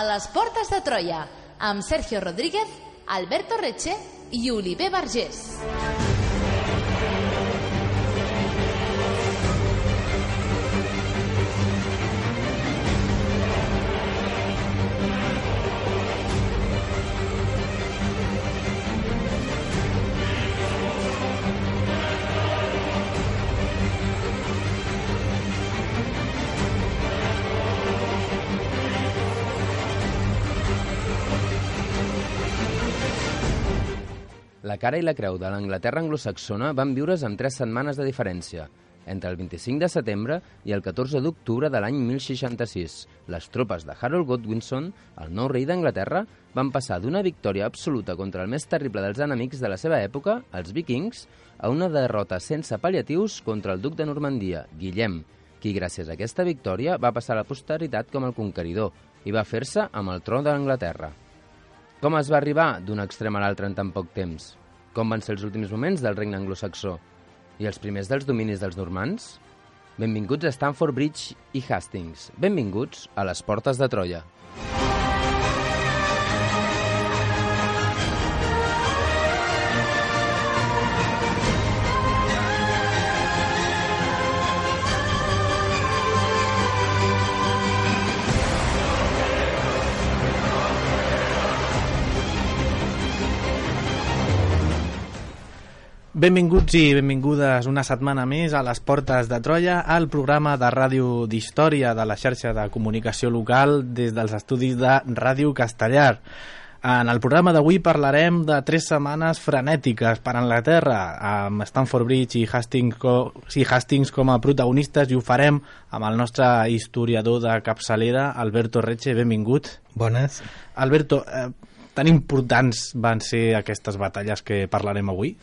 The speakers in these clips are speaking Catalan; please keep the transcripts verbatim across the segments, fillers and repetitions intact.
les portes de Troia, amb Sergio Rodríguez, Alberto Reche i Oliver Vergés. La cara i la creu de l'Anglaterra anglosaxona van viure's amb tres setmanes de diferència. Entre el vint-i-cinc de setembre i el catorze d'octubre de l'any mil seixanta-sis, les tropes de Harold Godwinson, el nou rei d'Anglaterra, van passar d'una victòria absoluta contra el més terrible dels enemics de la seva època, els vikings, a una derrota sense pal·liatius contra el duc de Normandia, Guillem, qui gràcies a aquesta victòria va passar a la posteritat com el conqueridor i va fer-se amb el tron d'Anglaterra. Com es va arribar d'un extrem a l'altre en tan poc temps? Com van ser els últims moments del regne anglosaxó? I els primers dels dominis dels normands? Benvinguts a Stamford Bridge i Hastings. Benvinguts a les portes de Troia. Benvinguts i benvingudes una setmana més a les portes de Troia, al programa de ràdio d'història de la xarxa de comunicació local des dels estudis de Ràdio Castellar. En el programa d'avui parlarem de tres setmanes frenètiques per Anglaterra, amb Stamford Bridge i Hastings, i Hastings com a protagonistes, i ho farem amb el nostre historiador de capçalera, Alberto Reche. Benvingut. Bones. Alberto, eh, tan importants van ser aquestes batalles que parlarem avui?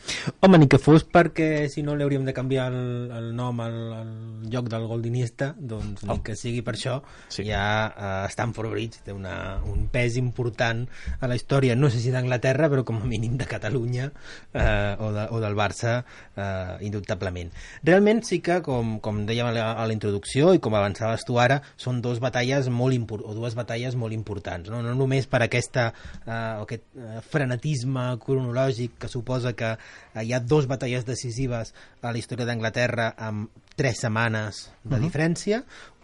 Home, ni que fos perquè si no li hauríem de canviar el, el nom al, al lloc del Goldinista, doncs oh. ni que sigui per això. Sí. Ja uh, Stamford Bridge té una, un pes important a la història, no sé si d'Anglaterra, però com a mínim de Catalunya uh, o, de, o del Barça, uh, indubtablement. Realment sí que, com, com dèiem a la, a la introducció i com avançaves tu ara, són dos batalles molt impor- o dues batalles molt importants, no, no només per aquesta uh, o aquest uh, frenetisme cronològic que suposa que uh, hi ha dos batalles decisives a la història d'Anglaterra amb tres setmanes de uh-huh. diferència,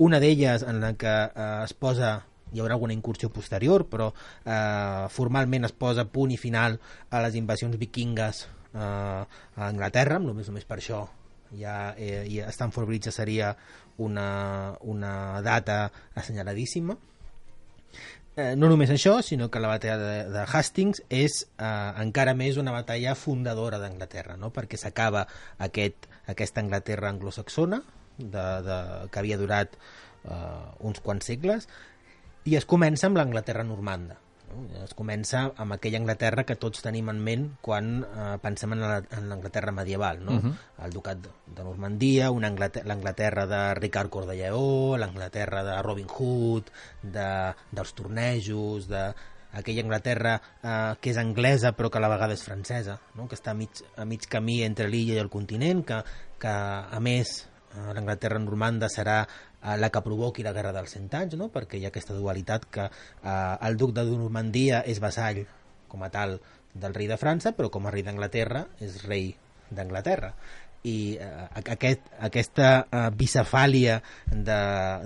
una d'elles en la que uh, es posa, hi haurà alguna incursió posterior, però uh, formalment es posa punt i final a les invasions vikingues uh, a Anglaterra, només, només per això ja, eh, ja Stamford Bridge seria una, una data assenyaladíssima. Eh, no només això, sinó que la batalla de, de Hastings és eh, encara més una batalla fundadora d'Anglaterra, no? Perquè s'acaba aquest, aquesta Anglaterra anglosaxona de, de, que havia durat eh, uns quants segles, i es comença amb l'Anglaterra normanda. Es comença amb aquella Anglaterra que tots tenim en ment quan eh, pensem en, la, en l'Anglaterra medieval, no? Uh-huh. El ducat de, de Normandia, una Anglaterra, l'Anglaterra de Ricard Cor de Lleó, l'Anglaterra de Robin Hood, de, dels tornejos, de aquella Anglaterra eh, que és anglesa però que a la vegada és francesa, no? Que està a mig, a mig camí entre l'illa i el continent, que, que a més eh, l'Anglaterra normanda serà la que provoqui la Guerra dels Cent Anys, no? Perquè hi ha aquesta dualitat que eh, el duc de Normandia és vassall com a tal del rei de França, però com a rei d'Anglaterra és rei d'Anglaterra. I eh, aquest, aquesta eh, bicefàlia de,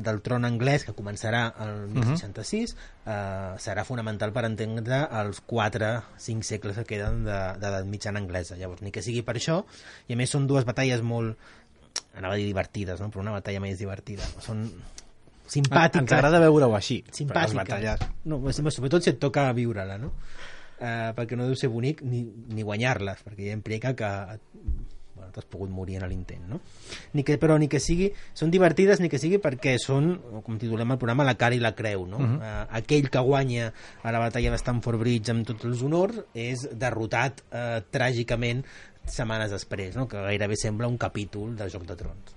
del tron anglès que començarà el mil seixanta-sis eh, serà fonamental per entendre els quatre cinc segles que queden de, de l'edat mitjana anglesa. Llavors, ni que sigui per això, i a més són dues batalles molt, anava a dir divertides, no? Però una batalla més divertida. Són simpàtiques. Ens agrada veure-ho així. Simpàtiques. Batalles... No, sobretot si et toca viure-la, no? Uh, perquè no deu ser bonic ni, ni guanyar-les, perquè ja implica que bueno, t'has pogut morir en l'intent, no? Ni que, però ni que sigui... Són divertides ni que sigui perquè són, com titulem el programa, la cara i la creu, no? Uh-huh. Uh, aquell que guanya a la batalla de Stamford Bridge amb tots els honors és derrotat uh, tràgicament setmanes després, no? Que gairebé sembla un capítol de Joc de Trons.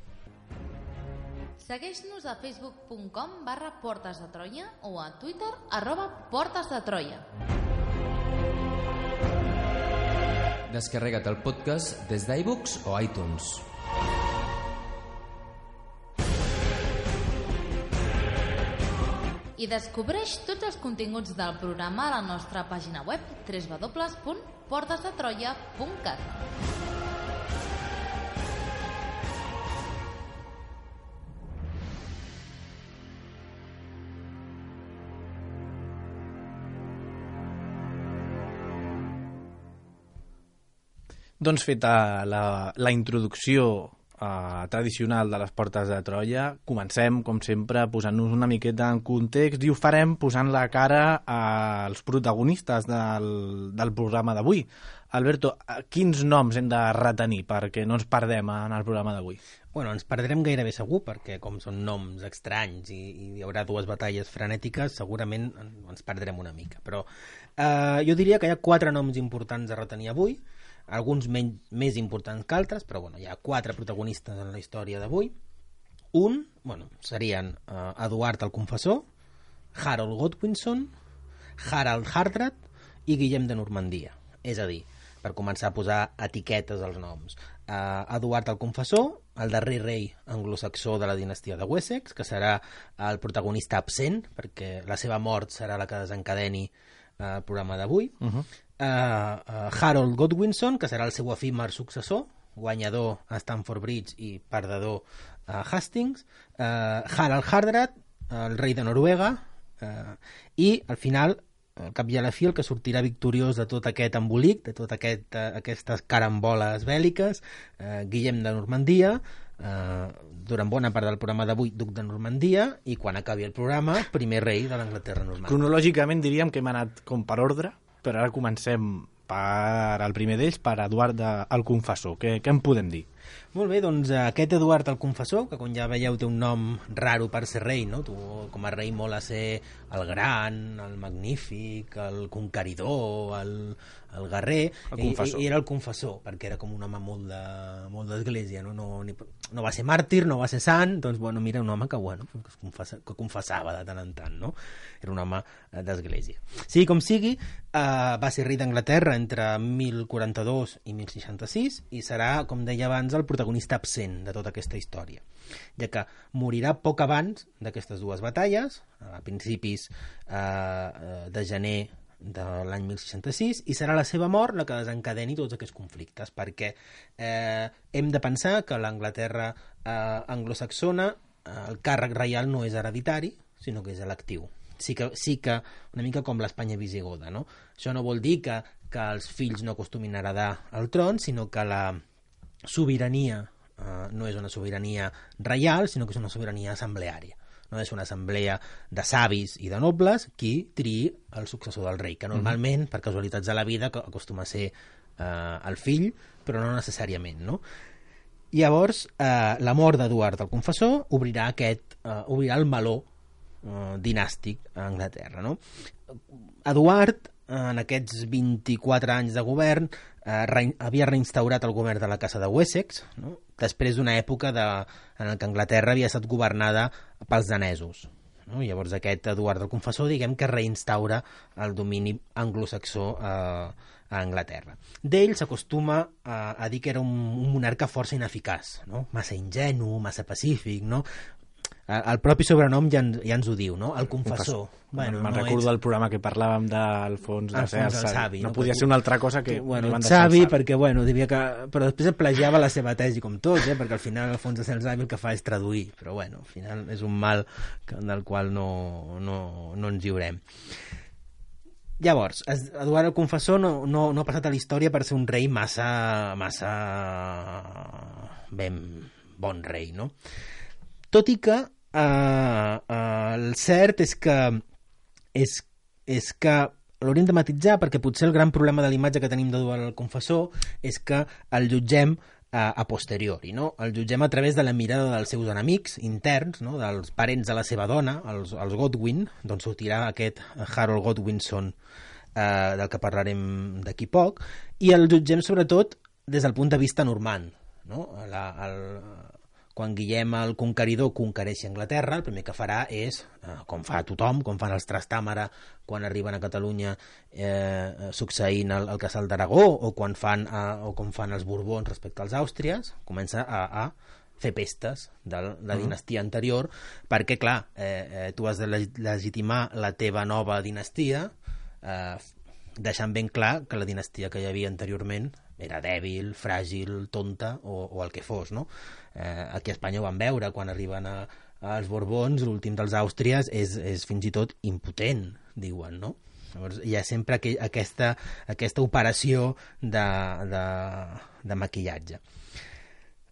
Segueix-nos a facebook punt com barra Portes de Troia o a Twitter arroba Portes de Troia. Descarrega't el podcast des d'iVoox o iTunes. I descobreix tots els continguts del programa a la nostra pàgina web w w w punt portes de troia punt cat. Doncs feta la, la introducció Uh, tradicional de les Portes de Troia, comencem, com sempre, posant-nos una miqueta en context i ho farem posant la cara als protagonistes del, del programa d'avui. Alberto, quins noms hem de retenir perquè no ens perdem en el programa d'avui? Bueno, ens perdrem gairebé segur, perquè com són noms estranys i, i hi haurà dues batalles frenètiques, segurament ens perdrem una mica. Però uh, jo diria que hi ha quatre noms importants a retenir avui, alguns menys, més importants que altres, però bueno, hi ha quatre protagonistes en la història d'avui. Un, bueno, serien uh, Eduard el Confessor, Harold Godwinson, Harald Hardrad i Guillem de Normandia. És a dir, per començar a posar etiquetes als noms. Uh, Eduard el Confessor, el darrer rei anglosaxó de la dinastia de Wessex, que serà el protagonista absent, perquè la seva mort serà la que desencadeni uh, el programa d'avui. Uh-huh. Uh, uh, Harold Godwinson, que serà el seu efímer successor, guanyador a Stamford Bridge i perdedor a Hastings, uh, Harald Hardrad, el rei de Noruega, uh, i al final, al cap i a la fi, el que sortirà victoriós de tot aquest embolic, de tot aquest, uh, aquestes caramboles bèl·liques, uh, Guillem de Normandia, uh, durant bona part del programa d'avui, duc de Normandia, i quan acabi el programa, primer rei de l'Anglaterra normal. Cronològicament diríem que hem anat com per ordre, però ara comencem per el primer d'ells, per Eduard el Confessor. Què, què en podem dir? Molt bé, doncs aquest Eduard el Confessor, que com ja veieu té un nom raro per ser rei, no? Tu com a rei molt a ser el gran, el magnífic, el conqueridor, el, el guerrer, el i, i era el confessor, perquè era com un home molt de, molt d'església, no? No, ni, no va ser màrtir, no va ser sant, doncs bueno, mira, un home que, bueno, que, es confessa, que confessava de tant en tant, no? Era un home d'església. Sigui com sigui, eh, va ser rei d'Anglaterra entre mil quaranta-dos i mil seixanta-sis i serà, com deia abans, el protagonista absent de tota aquesta història, ja que morirà poc abans d'aquestes dues batalles, a principis eh, de gener de l'any mil seixanta-sis, i serà la seva mort la que desencadeni tots aquests conflictes, perquè eh, hem de pensar que l'Anglaterra eh, anglosaxona, eh, el càrrec reial no és hereditari, sinó que és electiu. Sí que, sí que una mica com l'Espanya visigoda, no? Això no vol dir que, que els fills no acostumin a heredar el tron, sinó que la sobirania eh, no és una sobirania reial, sinó que és una sobirania assembleària. No és una assemblea de savis i de nobles qui triï el successor del rei, que normalment, per casualitats de la vida, acostuma a ser eh, el fill, però no necessàriament, no? Llavors, eh, la mort d'Eduard el Confessor obrirà, aquest, eh, obrirà el meló eh, dinàstic a Anglaterra, no? Eduard, en aquests vint-i-quatre anys de govern, eh, re, havia reinstaurat el govern de la Casa de Wessex, no? Després d'una època de, en què Anglaterra havia estat governada pels danesos, no? Llavors aquest Eduard el Confessor, diguem que reinstaura el domini anglosaxó eh, a Anglaterra. D'ell s'acostuma a, a dir que era un, un monarca força ineficaç, no? Massa ingenu, massa pacífic, no? El propi sobrenom ja, ja ens ho diu, no? El confessor. Bueno, me'n no recordo ets... del programa que parlàvem d'Alfons de Sersa. Savi, no, no podia ser una altra cosa que... Bueno, savi, perquè, bueno, devia que... Però després plagiava la seva tesi com tots, eh? Perquè al final Alfons de Sersa el que fa és traduir. Però, bueno, al final és un mal del qual no, no, no ens lliurem. Llavors, Eduard el Confessor no, no, no ha passat a la història per ser un rei massa... massa... ben bon rei, no? Tot i que Uh, uh, el cert és que és, és que l'hauríem de matitzar, perquè potser el gran problema de l'imatge que tenim d'Eduard el Confessor és que el jutgem uh, a posteriori, no? El jutgem a través de la mirada dels seus enemics interns, no? Dels parents de la seva dona, els, els Godwin, d'on sortirà aquest Harold Godwinson uh, del que parlarem d'aquí poc, i el jutgem sobretot des del punt de vista normand, no? La, el Quan Guillem el Conqueridor conquereixi Anglaterra, el primer que farà és, eh, com fa tothom, com fan els Trastàmara quan arriben a Catalunya eh, succeint el, el Casal d'Aragó, o quan fan eh, o com fan els Borbons respecte als Àustries, comença a, a fer pestes de la dinastia anterior, perquè, clar, eh, eh, tu has de legitimar la teva nova dinastia, eh, deixant ben clar que la dinastia que hi havia anteriorment era dèbil, fràgil, tonta o, o el que fos, no? Eh, aquí a Espanya ho van veure, quan arriben a, als Borbons, l'últim dels Àustries és, és fins i tot impotent, diuen, no? Llavors hi ha sempre aqu aquesta, aquesta operació de, de, de maquillatge.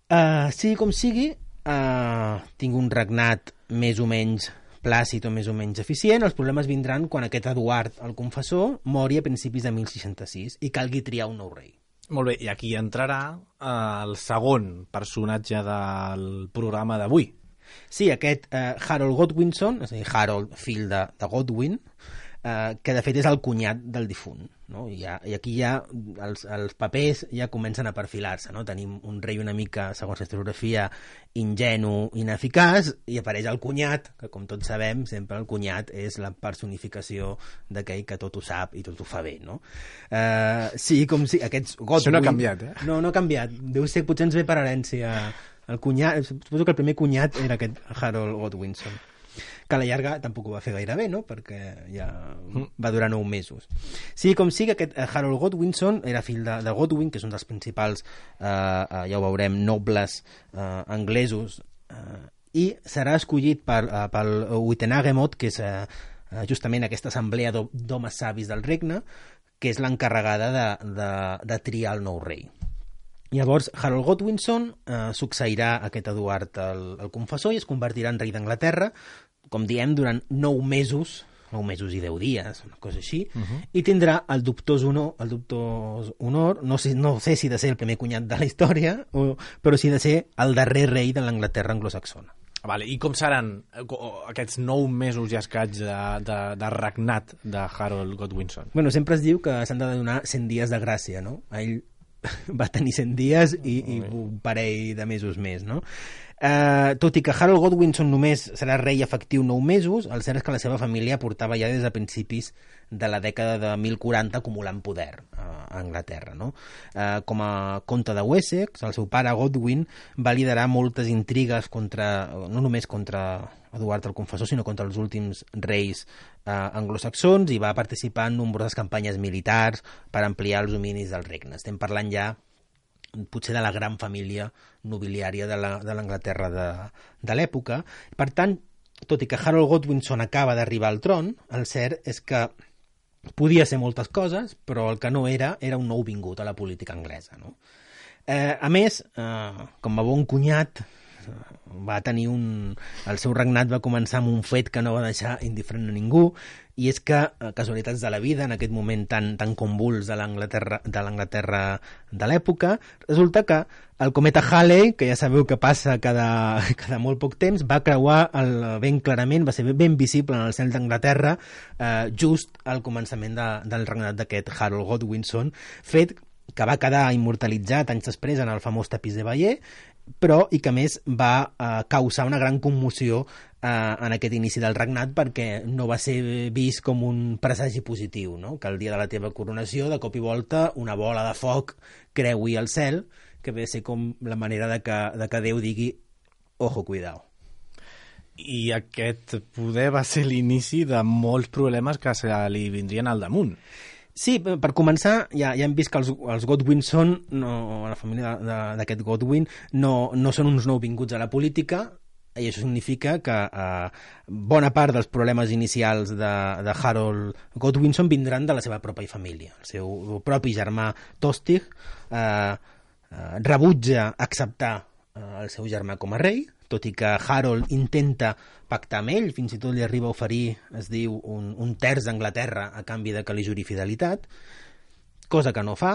Uh, sigui com sigui, uh, tinc un regnat més o menys plàcid o més o menys eficient. Els problemes vindran quan aquest Eduard el Confessor mori a principis de mil seixanta-sis i calgui triar un nou rei. Molt bé, i aquí entrarà uh, el segon personatge del programa d'avui. Sí, aquest uh, Harold Godwinson, és a dir, Harold, fill de, de Godwin, Uh, que de fet és el cunyat del difunt, no? I, ja, i aquí ja els, els papers ja comencen a perfilar-se, no? Tenim un rei una mica, segons la historiografia, ingenu, ineficaç, i apareix el cunyat, que com tots sabem sempre el cunyat és la personificació d'aquell que tot ho sap i tot ho fa bé, no? Uh, sí, com si aquests Godwin... Això no ha canviat, eh? No, no ha canviat, deu ser, potser ens ve per herència el cunyat, suposo que el primer cunyat era aquest Harold Godwinson, que a la llarga tampoc ho va fer gaire bé, no? Perquè ja va durar nou mesos. Sí, com sigui, aquest Harold Godwinson era fill de, de Godwin, que és un dels principals, eh, eh, ja ho veurem, nobles eh, anglesos, eh, i serà escollit per, eh, pel Witenagemot, que és eh, justament aquesta assemblea d'homes savis del regne, que és l'encarregada de, de, de triar el nou rei. Llavors, Harold Godwinson eh, succeirà aquest Eduard el, el Confessor i es convertirà en rei d'Anglaterra, com diem, durant nou mesos, nou mesos i deu dies, una cosa així, uh -huh. i tindrà el dubtós honor, el dubtós honor no, sé, no sé si de ser el primer cunyat de la història, o, però sí de ser el darrer rei de l'Anglaterra anglosaxona. Vale, i com seran aquests nou mesos i escaig de, de, de regnat de Harold Godwinson? Bueno, sempre es diu que s'han de donar cent dies de gràcia, no? A ell va tenir cent dies i, i un parell de mesos més, no? Uh, tot i que Harold Godwinson només serà rei efectiu nou mesos, el cert és que la seva família portava ja des de principis de la dècada de mil quaranta acumulant poder uh, a Anglaterra, no? Uh, com a comte de Wessex, el seu pare Godwin va liderar moltes intrigues contra, no només contra Eduard el Confessor, sinó contra els últims reis uh, anglosaxons, i va participar en nombroses campanyes militars per ampliar els dominis del regne. Estem parlant ja potser de la gran família nobiliària de l'Anglaterra de, de l'època. Per tant, tot i que Harold Godwinson acaba d'arribar al tron, el cert és que podia ser moltes coses, però el que no era, era un nou vingut a la política anglesa, no? Eh, a més, eh, com a bon cunyat, va tenir un... el seu regnat va començar amb un fet que no va deixar indiferent a ningú, i és que, casualitats de la vida, en aquest moment tan, tan convuls de l'Anglaterra de l'Anglaterra de l'època, resulta que el cometa Halley, que ja sabeu que passa cada, cada molt poc temps, va creuar el, ben clarament, va ser ben visible en el cel d'Anglaterra, eh, just al començament de, del regnat d'aquest Harold Godwinson, fet que va quedar immortalitzat anys després en el famós tapís de Bayeux, però i que a més va eh, causar una gran commoció eh, en aquest inici del regnat, perquè no va ser vist com un presagi positiu, no? Que el dia de la teva coronació, de cop i volta, una bola de foc creui el cel, que ve a ser com la manera de que, de que Déu digui ojo, cuidao. I aquest poder va ser l'inici de molts problemes que se li vindrien al damunt. Sí, per començar, ja, ja hem vist que els, els Godwinson, no, la família d'aquest Godwin, no, no són uns nouvinguts a la política, i això significa que eh, bona part dels problemes inicials de, de Harold Godwinson vindran de la seva pròpia família. El seu propi germà Tostig eh, eh, rebutja acceptar eh, el seu germà com a rei, tot i que Harold intenta pactar amb ell, fins i tot li arriba a oferir, es diu, un, un terç d'Anglaterra a canvi de que li juri fidelitat, cosa que no fa,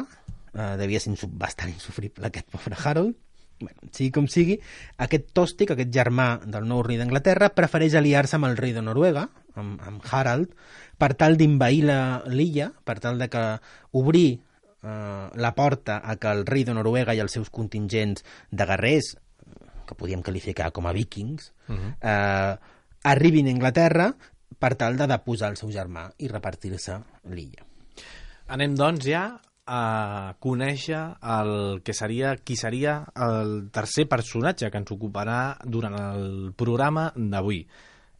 eh, devia ser bastant insufrible aquest pobre Harold. Bueno, sigui com sigui, aquest Tostig, aquest germà del nou rei d'Anglaterra, prefereix aliar-se amb el rei de Noruega, amb, amb Harald, per tal d'invair l'illa, per tal de que obrir eh, la porta a que el rei de Noruega i els seus contingents de guerrers, que podíem qualificar com a vikings, uh-huh. eh, arribin a Anglaterra per tal de deposar el seu germà i repartir-se l'illa. Anem, doncs, ja a conèixer el que seria, qui seria el tercer personatge que ens ocuparà durant el programa d'avui.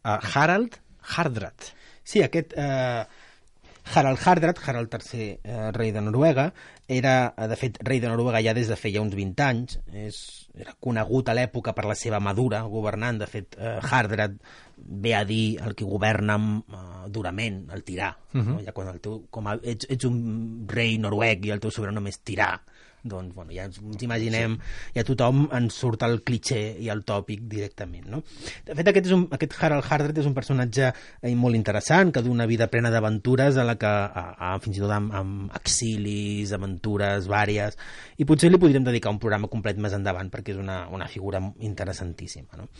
Uh, Harald Hardrad. Sí, aquest uh, Harald Hardrad, Harald tercer, uh, rei de Noruega, era, de fet, rei de Noruega ja des de feia uns vint anys. És, era conegut a l'època per la seva madura governant. De fet, uh, Hardrad ve a dir el que governa uh, durament, el tirà. Uh-huh. No? Ja quan el teu, com a, ets, ets un rei noruec i el teu sobrenom és tirà, doncs bueno, ja ens, ens imaginem, sí. Ja tothom ens surt el cliché i el tòpic directament, no? De fet, aquest, és un, aquest Harald Hardrad és un personatge eh, molt interessant, que du una vida plena d'aventures, a la que a, a, fins i tot amb, amb exilis, aventures vàries, i potser li podríem dedicar un programa complet més endavant, perquè és una, una figura interessantíssima, no?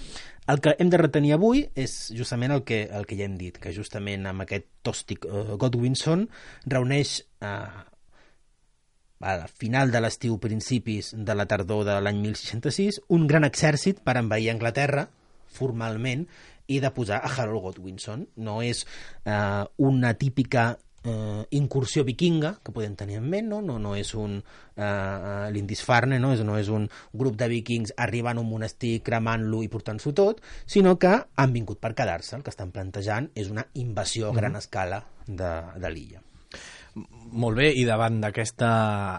El que hem de retenir avui és justament el que, el que ja hem dit, que justament amb aquest Tostig uh, Godwinson reuneix uh, a final de l'estiu, principis de la tardor de l'any mil seixanta-sis, un gran exèrcit per envair Anglaterra, formalment, i de posar a Harold Godwinson. No és eh, una típica eh, incursió vikinga que podem tenir en ment, no, no, no és un eh, Lindisfarne, no? És, no és un grup de vikings arribant a un monestir, cremant-lo i portant-s'ho tot, sinó que han vingut per quedar-se. El que estan plantejant és una invasió a mm-hmm. gran escala de, de l'illa. Molt bé, i davant d'aquesta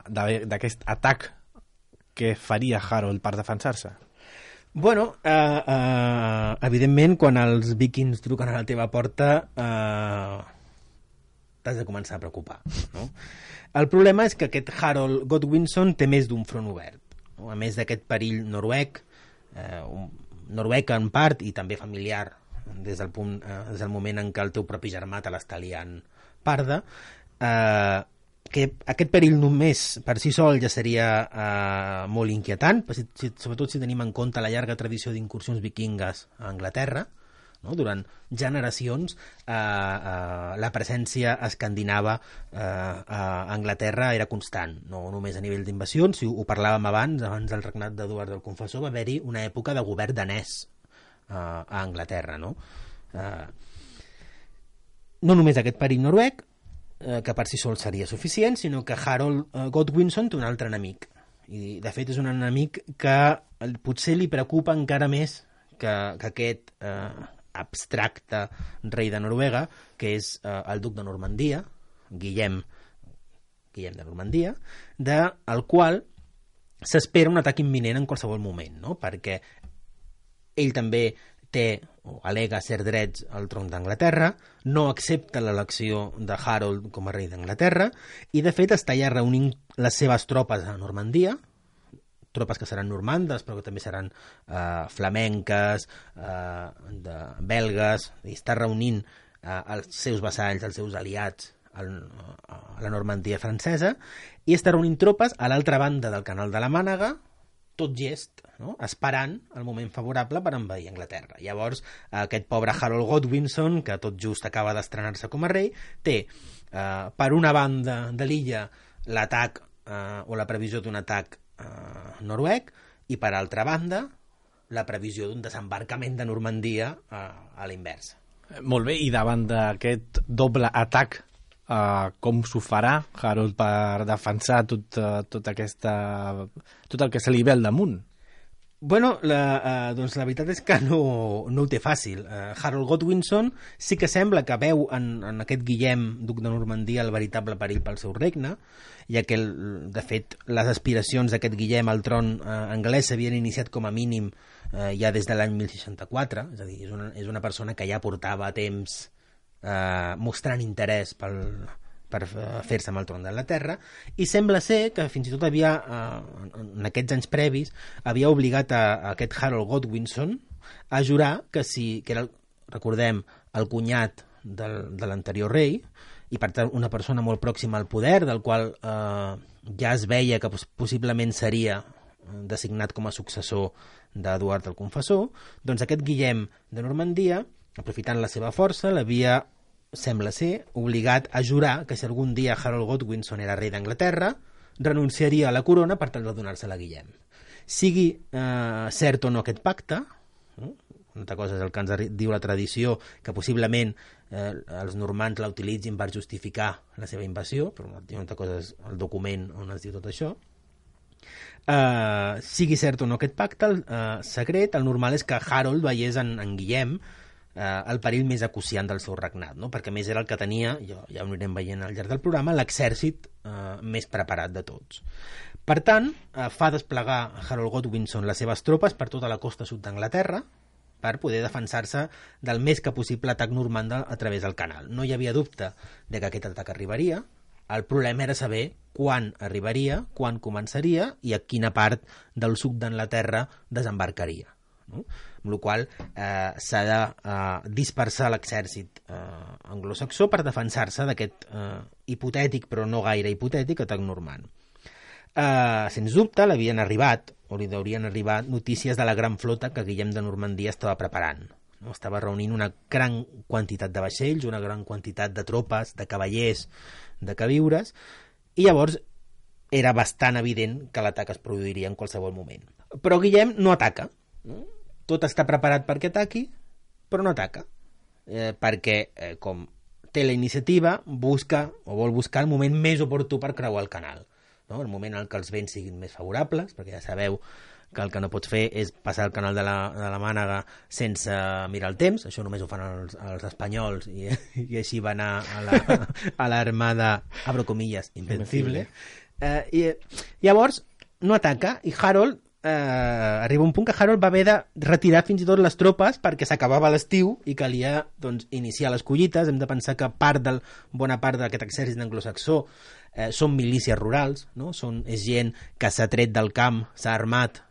d'aquest atac, què faria Harold per defensar-se? Bueno, eh, eh, evidentment, quan els vikings truquen a la teva porta, eh, t'has de començar a preocupar, no? El problema és que aquest Harold Godwinson té més d'un front obert, no? A més d'aquest perill noruec, eh, un, noruec en part i també familiar, des del, punt, eh, des del moment en què el teu propi germà te l'està liant parda, Uh, que aquest perill només per si sol ja seria uh, molt inquietant, si, si, sobretot si tenim en compte la llarga tradició d'incursions vikingues a Anglaterra, no? Durant generacions uh, uh, la presència escandinava uh, a Anglaterra era constant, no només a nivell d'invasions. Si ho, ho parlàvem abans, abans del regnat d'Eduard el Confessor, va haver-hi una època de govern danès uh, a Anglaterra, no? Uh, no només aquest perill noruec, que per si sol seria suficient, sinó que Harold Godwinson té un altre enemic, i de fet és un enemic que potser li preocupa encara més que, que aquest eh, abstracte rei de Noruega, que és eh, el duc de Normandia, Guillem Guillem de Normandia, del qual s'espera un atac imminent en qualsevol moment, no? Perquè ell també té o alega ser drets al tron d'Anglaterra, no accepta l'elecció de Harold com a rei d'Anglaterra i, de fet, està ja reunint les seves tropes a Normandia, tropes que seran normandes, però que també seran eh, flamenques, eh, de belgues, i està reunint eh, els seus vassalls, els seus aliats al, a la Normandia francesa, i està reunint tropes a l'altra banda del canal de la Mànega, tot gest, no? Esperant el moment favorable per envair Anglaterra. Llavors, aquest pobre Harold Godwinson, que tot just acaba d'estrenar-se com a rei, té, eh, per una banda de l'illa, l'atac eh, o la previsió d'un atac eh, noruec, i per altra banda, la previsió d'un desembarcament de Normandia eh, a l'inversa. Molt bé, i davant d'aquest doble atac, Uh, com s'ho farà Harold per defensar tot, uh, tot, aquesta, tot el que se li ve al damunt? Bueno, la, uh, doncs la veritat és que no, no ho té fàcil. Uh, Harold Godwinson sí que sembla que veu en, en aquest Guillem, duc de Normandia, el veritable perill pel seu regne, ja que, el, de fet, les aspiracions d'aquest Guillem al tron uh, anglès s'havien iniciat com a mínim uh, ja des de l'any mil seixanta-quatre, és a dir, és una, és una persona que ja portava temps Uh, mostrant interès pel, per fer-se amb el tron d'Anglaterra, i sembla ser que fins i tot havia, uh, en aquests anys previs, havia obligat a, a aquest Harold Godwinson a jurar que si, que era, recordem, el cunyat del, de l'anterior rei, i per tant una persona molt pròxima al poder, del qual uh, ja es veia que possiblement seria designat com a successor d'Eduard el Confessor, doncs aquest Guillem de Normandia, aprofitant la seva força, l'havia, sembla ser, obligat a jurar que si algun dia Harold Godwinson era rei d'Anglaterra, renunciaria a la corona per tal de donar-se-la a Guillem. Sigui eh, cert o no aquest pacte, no? una altra cosa és el que ens diu la tradició, que possiblement eh, els normands la utilitzin per justificar la seva invasió, però una altra cosa és el document on es diu tot això. Uh, sigui cert o no aquest pacte uh, secret, el normal és que Harold veiés en, en Guillem uh, el perill més acuciant del seu regnat, no? Perquè més era el que tenia, ja, ja ho anirem veient al llarg del programa, l'exèrcit uh, més preparat de tots. Per tant, uh, fa desplegar Harold Godwinson les seves tropes per tota la costa sud d'Anglaterra per poder defensar-se del més que possible atac normanda a través del canal. No hi havia dubte de que aquest atac arribaria. El problema era saber quan arribaria, quan començaria i a quina part del sud d'Anglaterra desembarcaria. No? Amb la qual cosa eh, s'ha de eh, dispersar l'exèrcit eh, anglosaxó per defensar-se d'aquest eh, hipotètic, però no gaire hipotètic, atac normand. Eh, sens dubte l'havien arribat, o li haurien arribat, notícies de la gran flota que Guillem de Normandia estava preparant. No? Estava reunint una gran quantitat de vaixells, una gran quantitat de tropes, de cavallers, de queviures, i llavors era bastant evident que l'atac es produiria en qualsevol moment. Però Guillem no ataca. No? Tot està preparat perquè ataqui, però no ataca. Eh, perquè, eh, com té la iniciativa, busca o vol buscar el moment més oportú per creuar el canal. No? El moment en què els vents siguin més favorables, perquè ja sabeu que el que no pots fer és passar el canal de la, de la Mànega sense mirar el temps. Això només ho fan els, els espanyols i, i així va anar a l'armada, la, abro comillas, invencible. Eh, i, llavors no ataca i Harold eh, arriba un punt que Harold va haver de retirar fins i tot les tropes perquè s'acabava l'estiu i calia doncs, iniciar les collites. Hem de pensar que part del, bona part d'aquest exèrcit anglosaxó eh, són milícies rurals, no? Són, és gent que s'ha tret del camp, s'ha armat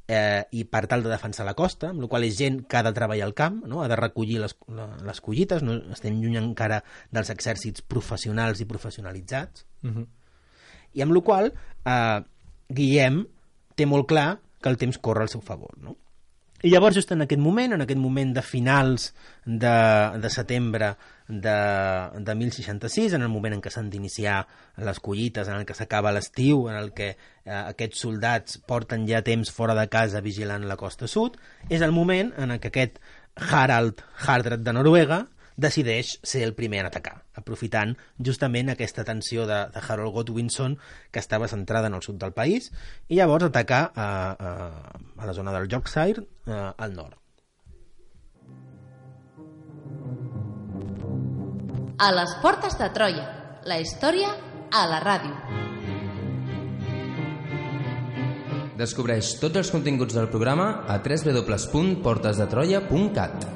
Eh, i per tal de defensar la costa, amb la qual és gent que ha de treballar al camp, no? Ha de recollir les, les collites, no? Estem lluny encara dels exèrcits professionals i professionalitzats. Uh-huh. I amb la qual eh, Guillem té molt clar que el temps corre al seu favor, no? I llavors just en aquest moment, en aquest moment de finals de, de setembre de, de mil seixanta-sis, en el moment en què s'han d'iniciar les collites, en el que s'acaba l'estiu, en el que eh, aquests soldats porten ja temps fora de casa vigilant la costa sud, és el moment en què aquest Harald Hardrad de Noruega decideix ser el primer a atacar, aprofitant justament aquesta tensió de, de Harold Godwinson que estava centrada en el sud del país, i llavors atacar a, a, a la zona del Yorkshire a, al nord. A les portes de Troia, la història a la ràdio. Descobreix tots els continguts del programa a w w w punt portes de troia punt cat.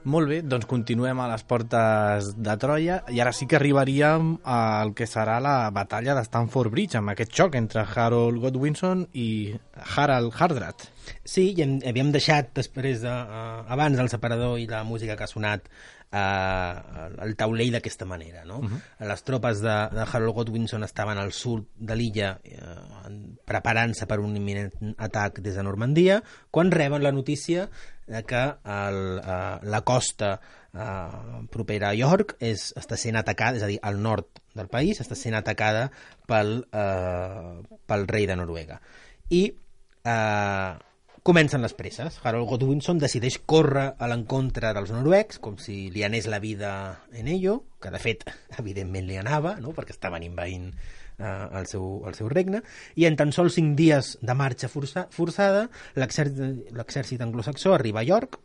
Molt bé, doncs continuem a les portes de Troia i ara sí que arribaríem al que serà la batalla de Stamford Bridge, amb aquest xoc entre Harold Godwinson i Harald Hardrada. Sí, i hem, havíem deixat després de, uh, abans del separador i la música que ha sonat uh, el taulell d'aquesta manera, no? Uh-huh. Les tropes de, de Harold Godwinson estaven al sud de l'illa uh, preparant-se per un imminent atac des de Normandia, quan reben la notícia de que el, uh, la costa uh, propera a York és, està sent atacada, és a dir, al nord del país està sent atacada pel, uh, pel rei de Noruega. I uh, comencen les presses. Harold Godwinson decideix córrer a l'encontre dels noruecs, com si li anés la vida en ello, que de fet, evidentment li anava, no? Perquè estaven envaint uh, el, seu, el seu regne, i en tan sols cinc dies de marxa força, forçada, l'exèrcit anglosaxó arriba a York,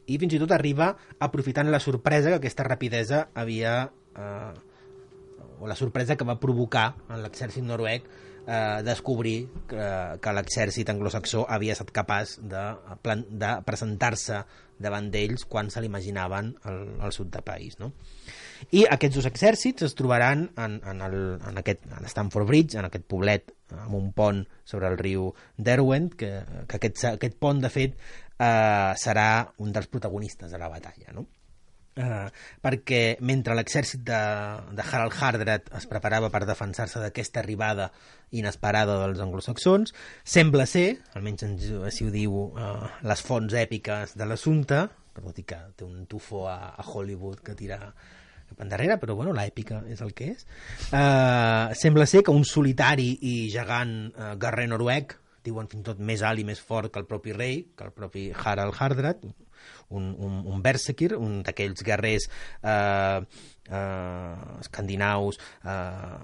i fins i tot arriba aprofitant la sorpresa que aquesta rapidesa havia... Uh, o la sorpresa que va provocar en l'exèrcit noruec eh, descobrir que, que l'exèrcit anglosaxó havia estat capaç de, de presentar-se davant d'ells quan se l'imaginaven al, al sud del país, no? I aquests dos exèrcits es trobaran en, en, el, en, aquest, en Stamford Bridge, en aquest poblet amb un pont sobre el riu Derwent, que, que aquest, aquest pont, de fet, eh, serà un dels protagonistes de la batalla, no? Uh, perquè mentre l'exèrcit de, de Harald Hardrada es preparava per defensar-se d'aquesta arribada inesperada dels anglosaxons, sembla ser, almenys així ho diu uh, les fonts èpiques de l'assumpte, tot i que té un tufo a, a Hollywood que tira cap endarrere, però bueno, l'èpica és el que és, uh, sembla ser que un solitari i gegant uh, guerrer noruec, diuen fins i tot més alt i més fort que el propi rei, que el propi Harald Hardrada, un, un, un Berserkir, un d'aquells guerrers eh, eh, escandinaus eh,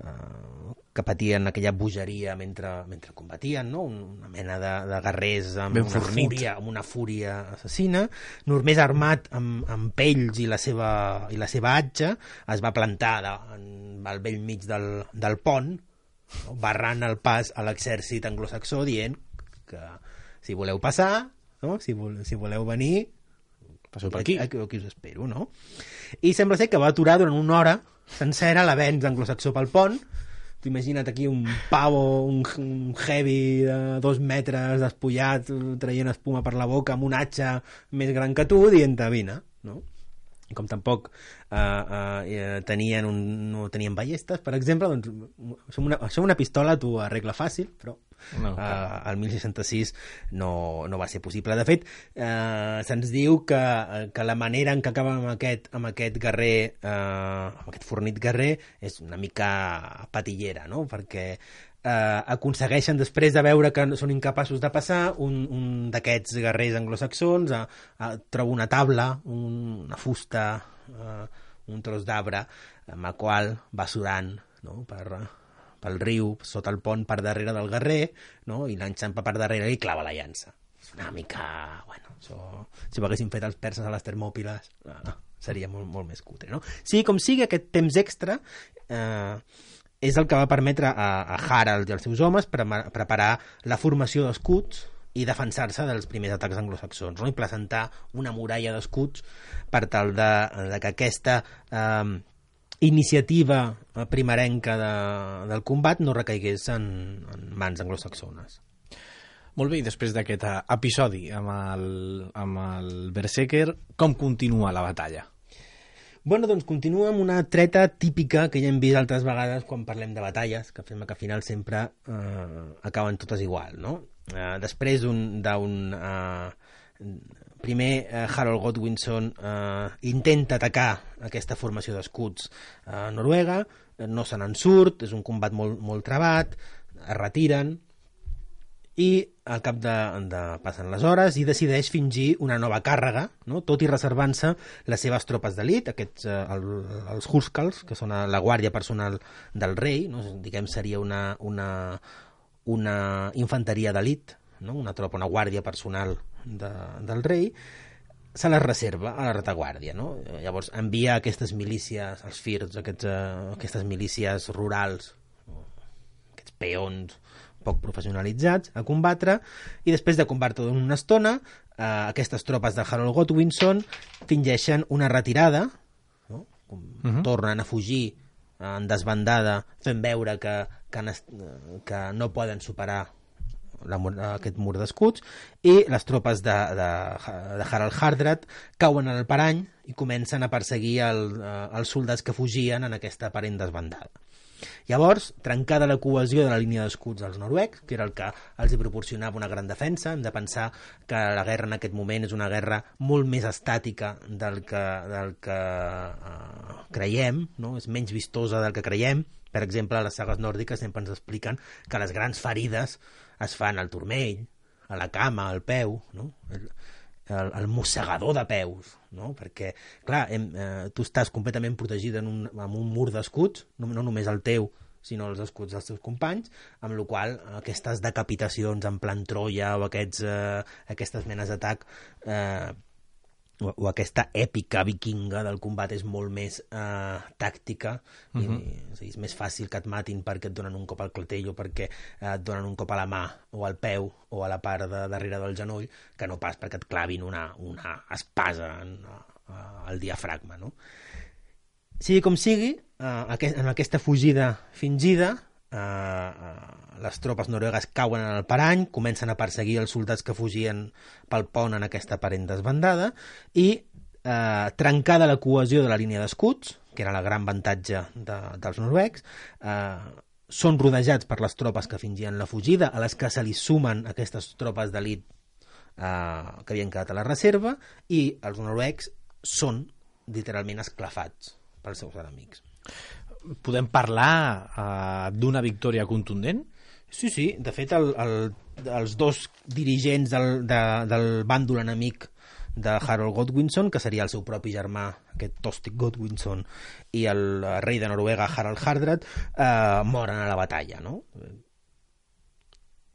eh, que patien aquella bogeria mentre, mentre combatien, no? Una mena de, de guerrers amb ben una, fúria, amb una fúria assassina. Només armat amb, amb pells i la seva, i la seva atxa, es va plantar de, en, al vell mig del, del pont, no? Barrant el pas a l'exèrcit anglosaxó, dient que si voleu passar, no? Si, vol, si voleu venir, passeu per aquí. Aquí, aquí us espero, no? I sembla ser que va aturar durant una hora sencera l'avenç anglosaxó pel pont. Tu imagina't aquí un pavo, un, un heavy de dos metres despullat, traient espuma per la boca amb un atxa més gran que tu, dient-te, vine, no? I com tampoc eh, eh, tenien un, no tenien ballestes, per exemple, doncs això una, això una pistola t'ho arregla fàcil, però no, eh, el mil seixanta-sis no, no va ser possible. De fet, eh, se'ns diu que, que la manera en què acaba amb aquest, amb aquest guerrer, eh, amb aquest fornit guerrer, és una mica patillera, no? Perquè Uh, aconsegueixen, després de veure que són incapaços de passar, un, un d'aquests guerrers anglosaxons uh, uh, troba una taula, un, una fusta, uh, un tros d'arbre, amb el qual va surant, no? per, pel riu, sota el pont, per darrere del guerrer, no? I l'enxampa per darrere i clava la llança. És una mica... Bueno, això, si ho haguessin fet els perses a les Termòpiles, uh, seria molt, molt més cutre, no? Sí, com sigui, aquest temps extra... Uh, és el que va permetre a, a Harald i als seus homes pre preparar la formació d'escuts i defensar-se dels primers atacs anglosaxons, no? I presentar una muralla d'escuts per tal de, de que aquesta eh, iniciativa primerenca de, del combat no recaigués en, en mans anglosaxones. Molt bé, i després d'aquest episodi amb el, amb el Berserker, com continua la batalla? Bueno, doncs continua amb una treta típica que ja hem vist altres vegades quan parlem de batalles, que fem que al final sempre eh, acaben totes igual, no? Eh, després d'un... Eh, primer, eh, Harold Godwinson eh, intenta atacar aquesta formació d'escuts a eh, Noruega, no se n'en surt, és un combat molt, molt trabat, es retiren, i al cap de, de passen les hores i decideix fingir una nova càrrega, no? Tot i reservant-se les seves tropes d'elit, aquests eh, el, els Huskarls, que són la guàrdia personal del rei, no? Diguem seria una, una, una infanteria d'elit, no? Una tropa, una guàrdia personal de, del rei, se les reserva a la retaguàrdia, no? Llavors envia aquestes milícies, els Firds, aquests, eh, aquestes milícies rurals, aquests peons poc professionalitzats, a combatre, i després de combatre durant una estona, eh, aquestes tropes de Harold Godwinson fingeixen una retirada, no? Uh-huh. Tornen a fugir en desbandada, fent veure que, que, que no poden superar la, aquest mur d'escuts, i les tropes de, de, de Harald Hardrad cauen en el parany i comencen a perseguir el, els soldats que fugien en aquesta aparent desbandada. Llavors, trencada la cohesió de la línia d'escuts dels noruecs, que era el que els hi proporcionava una gran defensa, hem de pensar que la guerra en aquest moment és una guerra molt més estàtica del que, del que uh, creiem, no? És menys vistosa del que creiem. Per exemple, a les sagues nòrdiques sempre ens expliquen que les grans ferides es fan al turmell, a la cama, al peu, no? el, el, el mossegador de peus, no? Perquè, clar, hem, eh, tu estàs completament protegit en un, en un mur d'escuts, no, no només el teu, sinó els escuts dels teus companys, amb la qual aquestes decapitacions en plan Troia o aquests, eh, aquestes menes d'atac eh, o, o aquesta èpica vikinga del combat és molt més eh, tàctica, uh-huh. i, és, dir, és més fàcil que et matin perquè et donen un cop al clatell o perquè eh, et donen un cop a la mà o al peu o a la part de darrere del genoll, que no pas perquè et clavin una, una espasa en, a, al diafragma, no? Sigui com sigui, eh, en aquesta fugida fingida, eh, les tropes noruegues cauen en el parany, comencen a perseguir els soldats que fugien pel pont en aquesta aparent desbandada, i eh, trencada la cohesió de la línia d'escuts, que era el gran avantatge de, dels noruecs, eh, són rodejats per les tropes que fingien la fugida, a les que se li sumen aquestes tropes d'elit eh, que havien quedat a la reserva, i els noruecs són literalment esclafats pels seus enemics. Podem parlar uh, d'una victòria contundent? Sí, sí. De fet, el, el, els dos dirigents del, de, del bàndol enemic de Harold Godwinson, que seria el seu propi germà, aquest Tostig Godwinson, i el rei de Noruega, Harald Hardrad, eh, moren a la batalla, no?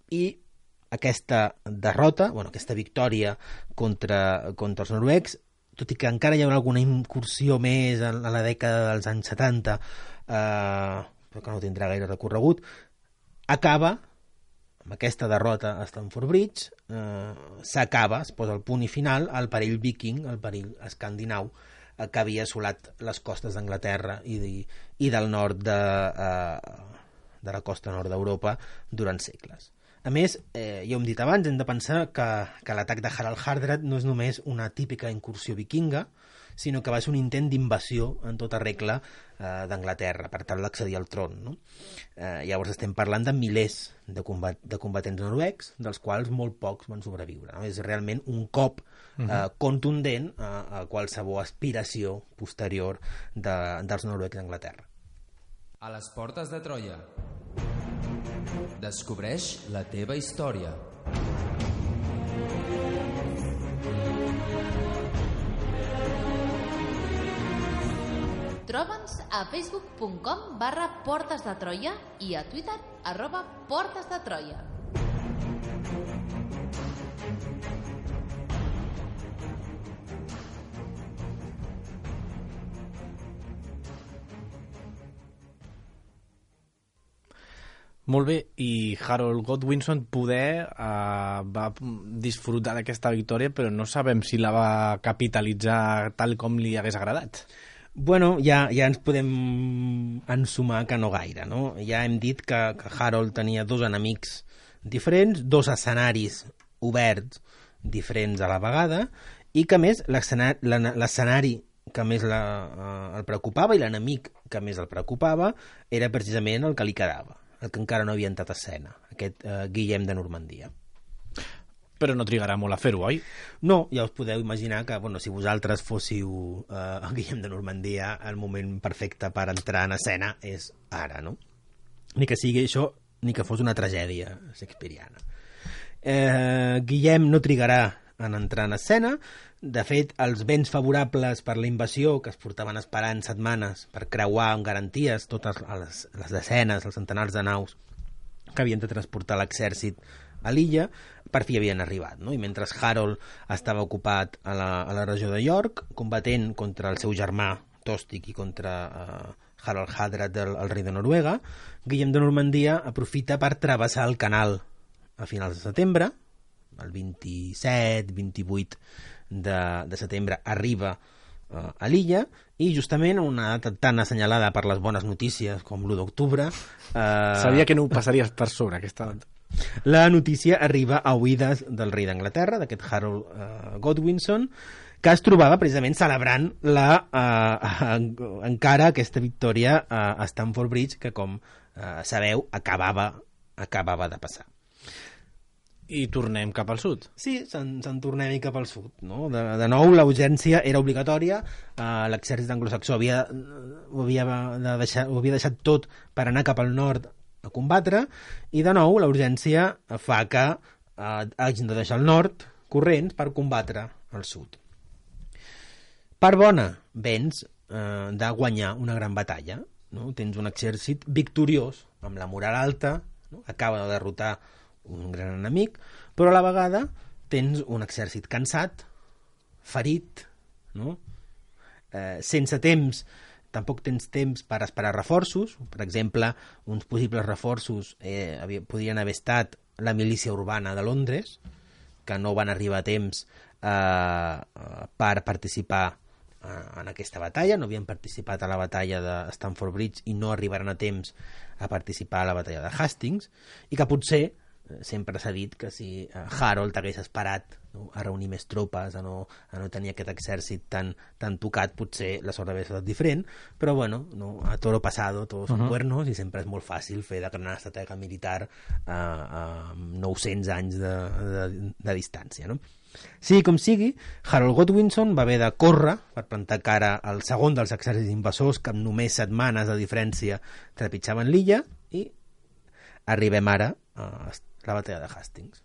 I aquesta derrota, bueno, aquesta victòria contra, contra els noruecs, tot i que encara hi haurà alguna incursió més a la dècada dels anys setanta, eh, però que no tindrà gaire recorregut, acaba amb aquesta derrota a Stamford Bridge, eh, s'acaba, es posa el punt i final al perill viking, al perill escandinau, eh, que havia assolat les costes d'Anglaterra i, de, i del nord de, eh, de la costa nord d'Europa durant segles. A més, eh, ja ho hem dit abans, hem de pensar que, que l'atac de Harald Hardrad no és només una típica incursió vikinga, sinó que va ser un intent d'invasió en tota regla eh, d'Anglaterra per tal d'accedir al tron, no? Eh, llavors estem parlant de milers de, combat, de combatents noruecs, dels quals molt pocs van sobreviure, no? És realment un cop eh, uh-huh. contundent a, a qualsevol aspiració posterior de, dels noruecs d'Anglaterra. A les portes de Troia. Descobreix la teva història. Troba'ns a facebook punt com barra Portes de Troia i a Twitter arroba Portes de Troia. Molt bé, i Harold Godwinson poder uh, va disfrutar d'aquesta victòria, però no sabem si la va capitalitzar tal com li hagués agradat. Bueno, ja, ja ens podem ensumar que no gaire, no? Ja hem dit que, que Harold tenia dos enemics diferents, dos escenaris oberts diferents a la vegada, i que més l'escenari que més la, uh, el preocupava i l'enemic que més el preocupava era precisament el que li quedava, el que encara no havia entrat a escena, aquest uh, Guillem de Normandia. Però no trigarà molt a fer-ho, oi? No, ja us podeu imaginar que, bueno, si vosaltres fóssiu uh, el Guillem de Normandia, el moment perfecte per entrar en escena és ara, no? Ni que sigui això, ni que fos una tragèdia shakespeariana. Eh, Guillem no trigarà en entrar en escena. De fet, els vents favorables per la invasió que es portaven esperant setmanes per creuar amb garanties totes les, les desenes, els centenars de naus que havien de transportar l'exèrcit a l'illa, per fi havien arribat, no? I mentre Harold estava ocupat a la, a la regió de York, combatent contra el seu germà Tostig i contra uh, Harald Hardrad, el, el rei de Noruega, Guillem de Normandia aprofita per travessar el canal a finals de setembre, el vint-i-set vint-i-vuit de, de setembre arriba uh, a l'illa, i justament una data tan assenyalada per les bones notícies com l'u d'octubre... Uh, Sabia que no ho passaries per sobre, aquesta data. La notícia arriba a oïdes del rei d'Anglaterra, d'aquest Harold uh, Godwinson, que es trobava precisament celebrant la, uh, encara aquesta victòria uh, a Stamford Bridge, que, com uh, sabeu, acabava, acabava de passar. I tornem cap al sud. Sí, se'n se tornem cap al sud. No? De, de nou, la urgència era obligatòria, uh, l'exèrcit anglosaxó havia, ho, havia de deixar, ho havia deixat tot per anar cap al nord a combatre, i de nou la urgència fa que uh, hagin de deixar el nord corrents per combatre al sud. Per bona, vens uh, de guanyar una gran batalla, no? Tens un exèrcit victoriós, amb la moral alta, no? Acaba de derrotar un gran enemic, però a la vegada tens un exèrcit cansat, ferit, no? Eh, sense temps, tampoc tens temps per esperar reforços. Per exemple, uns possibles reforços eh, havia, podrien haver estat la milícia urbana de Londres, que no van arribar a temps eh, per participar eh, en aquesta batalla, no havien participat a la batalla de Stamford Bridge i no arribaran a temps a participar a la batalla de Hastings, i que potser sempre s'ha dit que si Harold hagués esperat, no, a reunir més tropes, a no, a no tenir aquest exèrcit tan, tan tocat, potser la sort hauria estat diferent, però bueno, no, a toro pasado todos son uh -huh. cuernos, i sempre és molt fàcil fer de gran estratègia militar a, a nou-cents anys de, de, de distància, no? Sigui com sigui, Harold Godwinson va haver de córrer per plantar cara al segon dels exèrcits invasors que amb només setmanes de diferència trepitjaven l'illa, i arribem ara a la batalla de Hastings.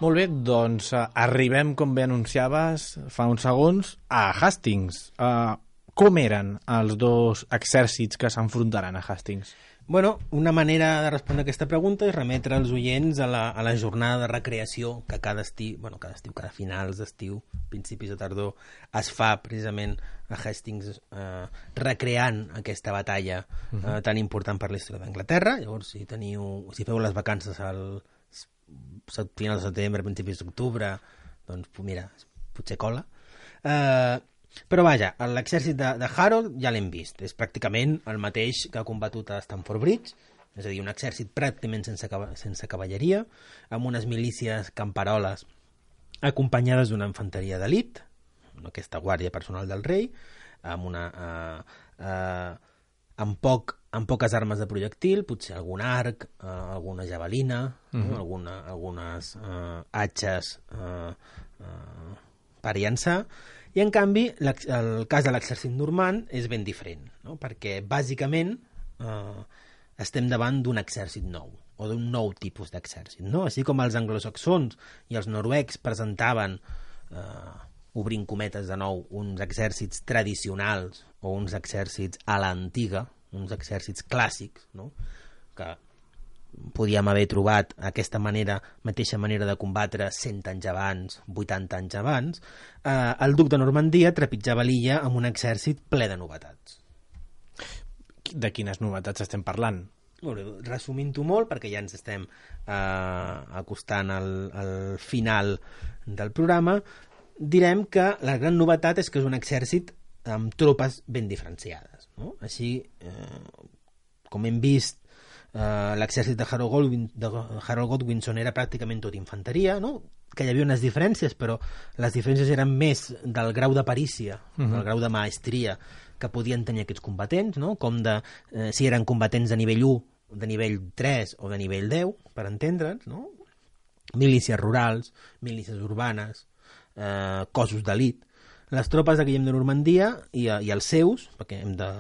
Molt bé, doncs uh, arribem, com bé anunciaves fa uns segons, a Hastings. Uh, com eren els dos exèrcits que s'enfrontaran a Hastings? Bueno, una manera de respondre a aquesta pregunta és remetre els oients a la, a la jornada de recreació que cada estiu, bueno, cada estiu, cada finals d'estiu, principis de tardor, es fa precisament a Hastings, eh, recreant aquesta batalla eh, uh-huh. tan important per la història d'Anglaterra. Llavors, si teniu, si feu les vacances al final de setembre, principis d'octubre, doncs mira, potser cola. Eh, però vaja, l'exèrcit de, de Harold ja l'hem vist, és pràcticament el mateix que ha combatut a Stamford Bridge, és a dir, un exèrcit pràcticament sense, sense cavalleria, amb unes milícies camperoles acompanyades d'una infanteria d'elit, aquesta guàrdia personal del rei, amb una eh, eh, amb, poc, amb poques armes de projectil, potser algun arc, eh, alguna javelina, uh-huh. no? alguna, algunes eh, atxes eh, eh, per llançar, i en canvi el cas de l'exèrcit normand és ben diferent, no? Perquè bàsicament eh, estem davant d'un exèrcit nou, o d'un nou tipus d'exèrcit, no? Així com els anglosaxons i els noruecs presentaven, eh, obrint cometes de nou, uns exèrcits tradicionals o uns exèrcits a l'antiga, uns exèrcits clàssics, no? Que podíem haver trobat aquesta manera, mateixa manera de combatre cent anys abans, vuitanta anys abans, eh, el duc de Normandia trepitjava l'illa amb un exèrcit ple de novetats. De quines novetats estem parlant? Bueno, resumint-ho molt, perquè ja ens estem eh, acostant al, al final del programa, direm que la gran novetat és que és un exèrcit amb tropes ben diferenciades, no? Així, eh, com hem vist, Uh, l'exèrcit de Harold, Godwin, de Harold Godwinson era pràcticament tot infanteria, no? Que hi havia unes diferències, però les diferències eren més del grau de perícia, uh-huh. del grau de maestria que podien tenir aquests combatents, no? Com de, eh, si eren combatents de nivell u, de nivell tres o de nivell deu, per entendre'ns, no? Milícies rurals, milícies urbanes, eh, cossos d'elit. Les tropes de Guillem de Normandia i, i els seus, perquè hem de...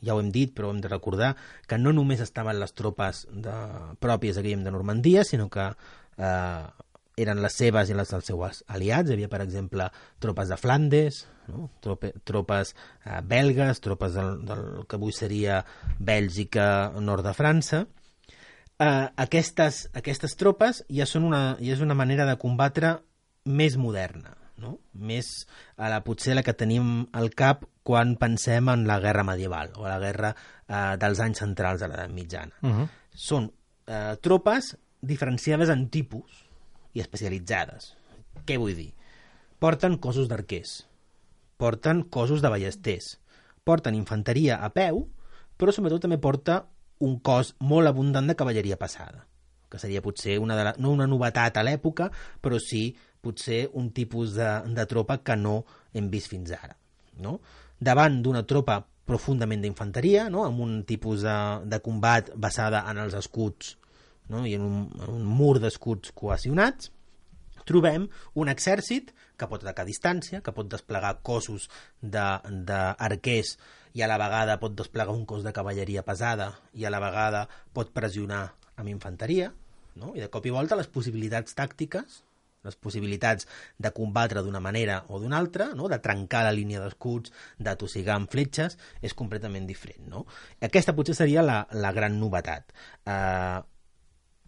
ja ho hem dit, però hem de recordar que no només estaven les tropes de, pròpies de Guillem de Normandia, sinó que eh, eren les seves i les dels seus aliats. Hi havia, per exemple, tropes de Flandes, no? Trope, tropes eh, belgues, tropes del, del que avui seria Bèlgica, nord de França. Eh, aquestes, aquestes tropes ja són una, ja és una manera de combatre més moderna, no? Més a la, potser la que tenim al cap quan pensem en la guerra medieval o la guerra eh, dels anys centrals de l'edat mitjana. Uh-huh. Són eh, tropes diferenciades en tipus i especialitzades. Què vull dir? Porten cossos d'arquers, porten cossos de ballesters, porten infanteria a peu, però sobretot també porta un cos molt abundant de cavalleria passada, que seria potser una de la, no una novetat a l'època, però sí potser un tipus de, de tropa que no hem vist fins ara, no? Davant d'una tropa profundament d'infanteria, no? Amb un tipus de, de combat basada en els escuts, no? I en un, un mur d'escuts cohesionats, trobem un exèrcit que pot atacar a distància, que pot desplegar cossos d'arquers i a la vegada pot desplegar un cos de cavalleria pesada i a la vegada pot pressionar amb infanteria, no? I de cop i volta les possibilitats tàctiques, les possibilitats de combatre d'una manera o d'una altra, no? De trencar la línia d'escuts, d'atossigar amb fletxes, és completament diferent, no? Aquesta potser seria la, la gran novetat. Eh,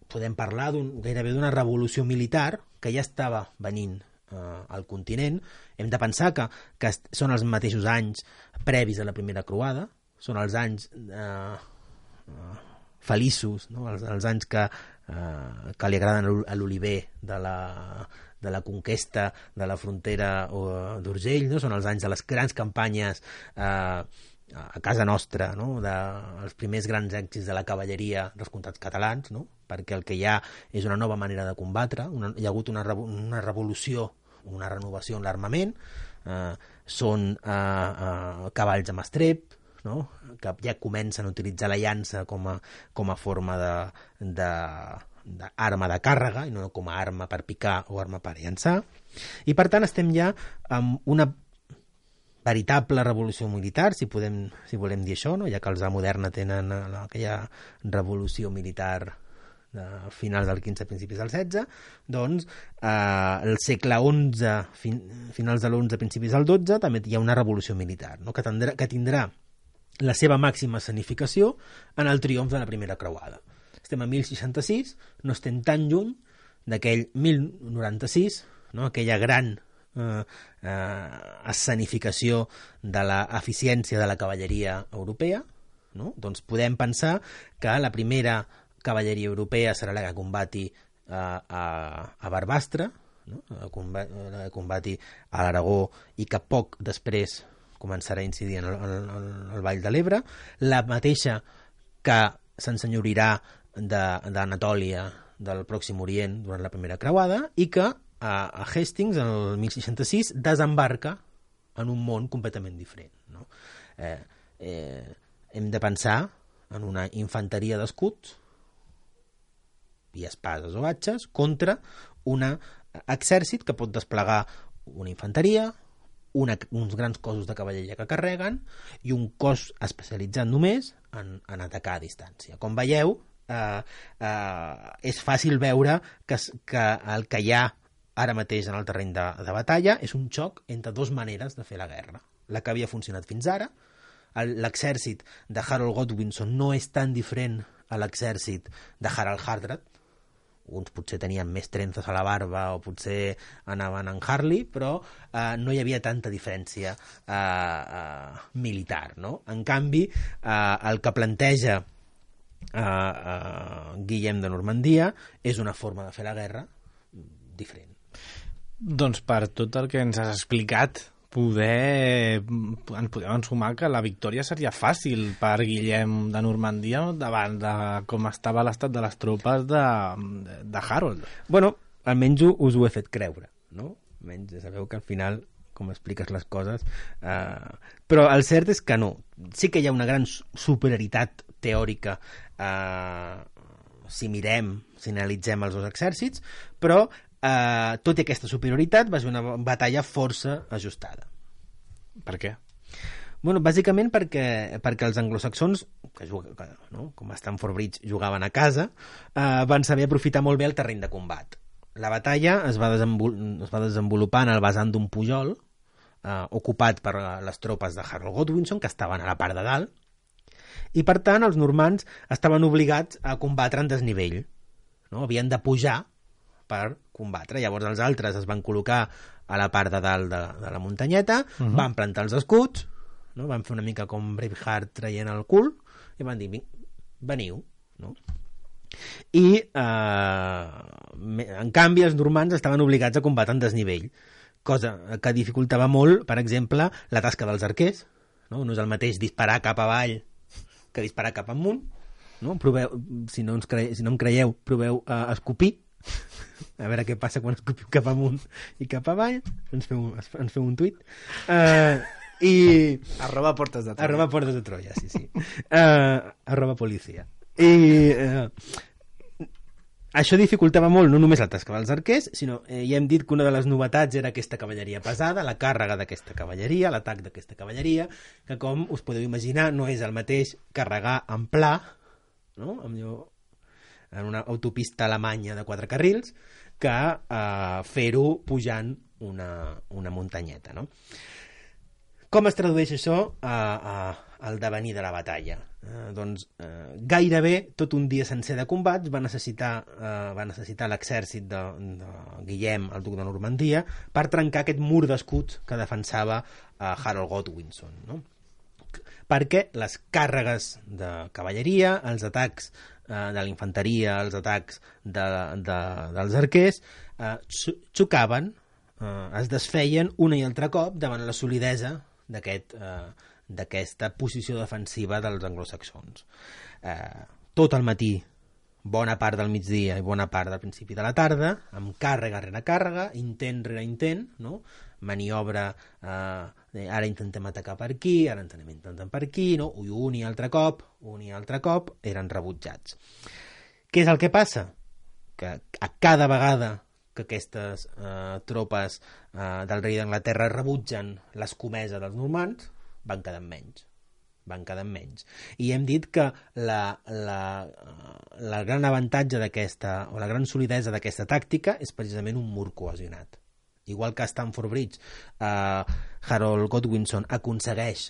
podem parlar d'un, gairebé d'una revolució militar que ja estava venint eh, al continent. Hem de pensar que, que són els mateixos anys previs a la primera croada, són els anys eh, eh, feliços, no? els, els anys que Uh, que li agraden a l'Oliver de la, de la conquesta de la frontera uh, d'Urgell, no? Són els anys de les grans campanyes uh, a casa nostra, no? De, els primers grans èxits de la cavalleria dels comtats catalans, no? Perquè el que hi ha és una nova manera de combatre, una, hi ha hagut una, una revolució, una renovació en l'armament, uh, són uh, uh, cavalls amb estrep, no? Que ja comencen a utilitzar la llança com a, com a forma de, de, d'arma de càrrega i no com a arma per picar o arma per llançar, i per tant estem ja amb una veritable revolució militar, si, podem, si volem dir això, no? Ja que els A moderna tenen aquella revolució militar de finals del quinze, principis del setze, doncs eh, el segle onze, fin, finals de l'onze, principis del dotze, també hi ha una revolució militar, no? que, tindrà, que tindrà la seva màxima escenificació en el triomf de la primera creuada. Estem a mil seixanta-sis, no estem tan lluny d'aquell mil noranta-sis, no? Aquella gran eh, eh, escenificació de l'eficiència de la cavalleria europea, no? Doncs podem pensar que la primera cavalleria europea serà la que combati eh, a, a Barbastre, no? a, combati, a combati a l'Aragó, i que poc després començarà a incidir en el, en, el, en el Vall de l'Ebre, la mateixa que s'ensenyorirà d'Anatòlia, de, del Pròxim Orient durant la primera creuada, i que a, a Hastings, en el mil seixanta-sis, desembarca en un món completament diferent, no? Eh, eh, hem de pensar en una infanteria d'escuts i espases o atxes contra un exèrcit que pot desplegar una infanteria, Una, uns grans cossos de cavalleria que carreguen i un cos especialitzat només en, en atacar a distància. Com veieu, eh, eh, és fàcil veure que, que el que hi ha ara mateix en el terreny de, de batalla és un xoc entre dues maneres de fer la guerra. La que havia funcionat fins ara, l'exèrcit de Harold Godwinson no és tan diferent a l'exèrcit de Harald Hardrada. Uns potser tenien més trenzes a la barba o potser anaven en Harley, però eh, no hi havia tanta diferència eh, eh, militar, no? En canvi, eh, el que planteja eh, eh, Guillem de Normandia és una forma de fer la guerra diferent. Doncs per tot el que ens has explicat, poder ens podem ensumar que la victòria seria fàcil per Guillem de Normandia davant de com estava l'estat de les tropes de, de Harold. Bueno, almenys us ho he fet creure, no? Almenys sabeu que al final, com expliques les coses... Eh... Però el cert és que no. Sí que hi ha una gran superioritat teòrica eh, si mirem, si analitzem els dos exèrcits, però Uh, tot i aquesta superioritat va ser una batalla força ajustada. Per què? Bueno, bàsicament perquè, perquè els anglosaxons, que juguen, no? com a Stamford Bridge jugaven a casa, uh, van saber aprofitar molt bé el terreny de combat. La batalla es va, desenvol es va desenvolupar en el vessant d'un pujol uh, ocupat per les tropes de Harold Godwinson, que estaven a la part de dalt, i per tant els normands estaven obligats a combatre en desnivell. No? Havien de pujar per combatre. Llavors els altres es van col·locar a la part de dalt de, de la muntanyeta, uh -huh. van plantar els escuts, no? Van fer una mica com Braveheart traient el cul, i van dir, veniu. No? I, eh, en canvi, els normands estaven obligats a combatre en desnivell, cosa que dificultava molt, per exemple, la tasca dels arquers. No, no és el mateix disparar cap avall que disparar cap amunt. No? Proveu, si, no ens cre... si no em creieu, proveu uh, escopir, a veure què passa quan escopiu cap amunt i cap avall. Ens feu, ens feu un tuit. Uh, i... Arroba portes de Troia. Arroba portes de Troia, sí, sí. Uh, arroba policia. I uh, això dificultava molt no només la tasca dels arquers, sinó eh, ja hem dit que una de les novetats era aquesta cavalleria pesada, la càrrega d'aquesta cavalleria, l'atac d'aquesta cavalleria, que com us podeu imaginar no és el mateix carregar en pla, no? Amb allò, en una autopista alemanya de quatre carrils, que eh, fer-ho pujant una, una muntanyeta, no? Com es tradueix això a, a, al devenir de la batalla? Eh, doncs eh, gairebé tot un dia sencer de combats va necessitar, eh, va necessitar l'exèrcit de, de Guillem, el duc de Normandia, per trencar aquest mur d'escuts que defensava eh, Harold Godwinson, no? Perquè les càrregues de cavalleria, els atacs eh, de la infanteria, els atacs de, de, dels arquers eh, xocaven, eh, es desfeien un i altre cop davant la solidesa d'aquest eh, d'aquesta posició defensiva dels anglosaxons. Eh, tot el matí, bona part del migdia i bona part del principi de la tarda, amb càrrega rere càrrega, intent rere intent, no? Maniobra, eh, ara intentem atacar per aquí, ara intentem intentar per aquí, no? I un i altre cop, un i altre cop, eren rebutjats. Què és el que passa? Que a cada vegada que aquestes eh, tropes eh, del rei d'Anglaterra rebutgen l'escomesa dels normands, van quedant menys. Van quedant menys. I hem dit que la, la, la gran avantatge d'aquesta, o la gran solidesa d'aquesta tàctica és precisament un mur cohesionat. Igual que a Stamford Bridge, eh, Harold Godwinson aconsegueix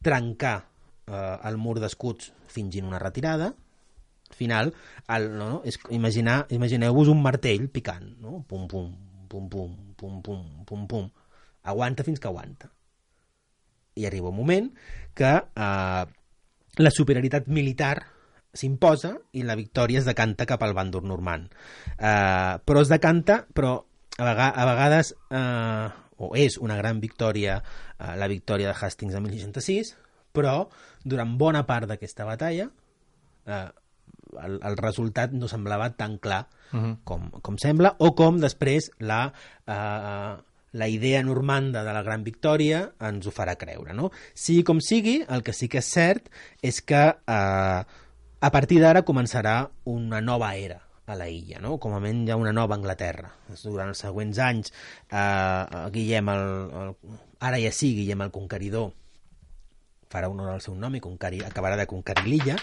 trencar eh, el mur d'escuts fingint una retirada. Al final, el, no, no, és imaginar, imagineu-vos un martell picant, no? Pum, pum, pum, pum, pum, pum, pum, pum. Aguanta fins que aguanta. I arriba un moment que eh, la superioritat militar s'imposa i la victòria es decanta cap al bàndol normand. Eh, però es decanta, però a, vega, a vegades, eh, o és una gran victòria, eh, la victòria de Hastings de mil seixanta-sis, però durant bona part d'aquesta batalla eh, el, el resultat no semblava tan clar uh-huh. com, com sembla, o com després la... Eh, la idea normanda de la gran victòria ens ho farà creure, no? Sigui com sigui, el que sí que és cert és que eh, a partir d'ara començarà una nova era a la illa, no? Com a mínim hi ha una nova Anglaterra. Durant els següents anys, eh, Guillem, el, el, ara ja sí, Guillem el Conqueridor, farà honor al seu nom i conquerir, acabarà de conquerir l'illa,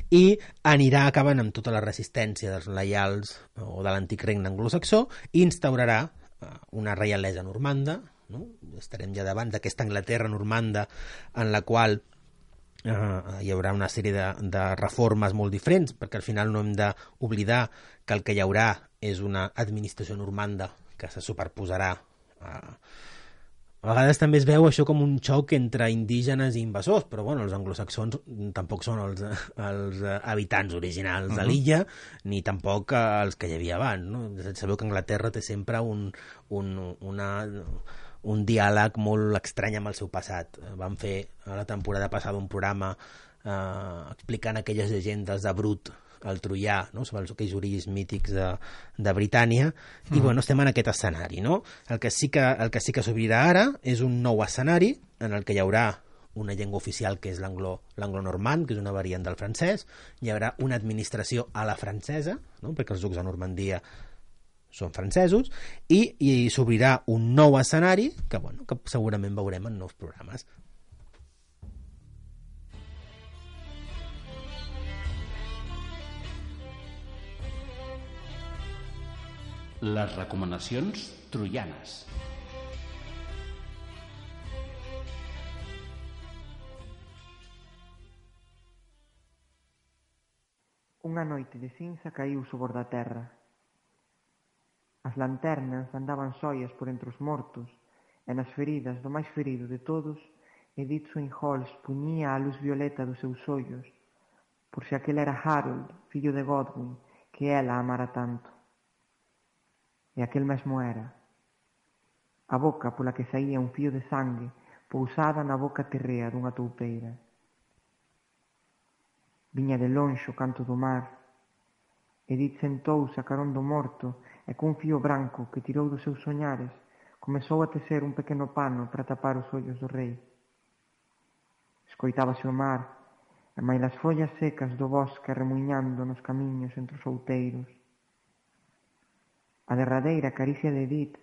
i anirà acabant amb tota la resistència dels lleials o de l'antic regne anglosaxó i instaurarà una reialesa normanda, no? Estarem ja davant d'aquesta Anglaterra normanda en la qual eh, hi haurà una sèrie de, de reformes molt diferents, perquè al final no hem d'oblidar que el que hi haurà és una administració normanda que se superposarà a... A vegades també es veu això com un xoc entre indígenes i invasors, però bueno, els anglosaxons tampoc són els, els habitants originals uh-huh. de l'illa, ni tampoc els que hi havia abans, no? Sabeu que Anglaterra té sempre un, un, una, un diàleg molt estrany amb el seu passat. Van fer a la temporada passada un programa eh, explicant aquelles llegendes de Brut, el troià, no? Sobre els aquells orígens mítics de, de Britània, i mm. bueno, estem en aquest escenari, no? El que sí que, el que sí que s'obrirà ara és un nou escenari en el que hi haurà una llengua oficial que és l'anglo-normand, que és una variant del francès, hi haurà una administració a la francesa, no? Perquè els ducs de Normandia són francesos, i, i s'obrirà un nou escenari que, bueno, que segurament veurem en nous programes. Les recomanacions troianes. Unha noite de cinza caiu sobre a terra. As lanternas andaban soias por entre os mortos, e nas feridas do máis ferido de todos, Edith Swinholt puñía a luz violeta dos seus ollos, por se aquel era Harold, fillo de Godwin, que ela amara tanto. E aquel mesmo era. A boca pola que saía un fío de sangue pousada na boca terrea dunha toupeira. Viña de lonxe o canto do mar. Edith sentouse a carón do morto e cun fío branco que tirou dos seus soñares comezou a tecer un pequeno pano para tapar os ollos do rei. Escoitábase o mar e mailas follas secas do bosque remuñando nos camiños entre os outeiros. A derradeira caricia de Edith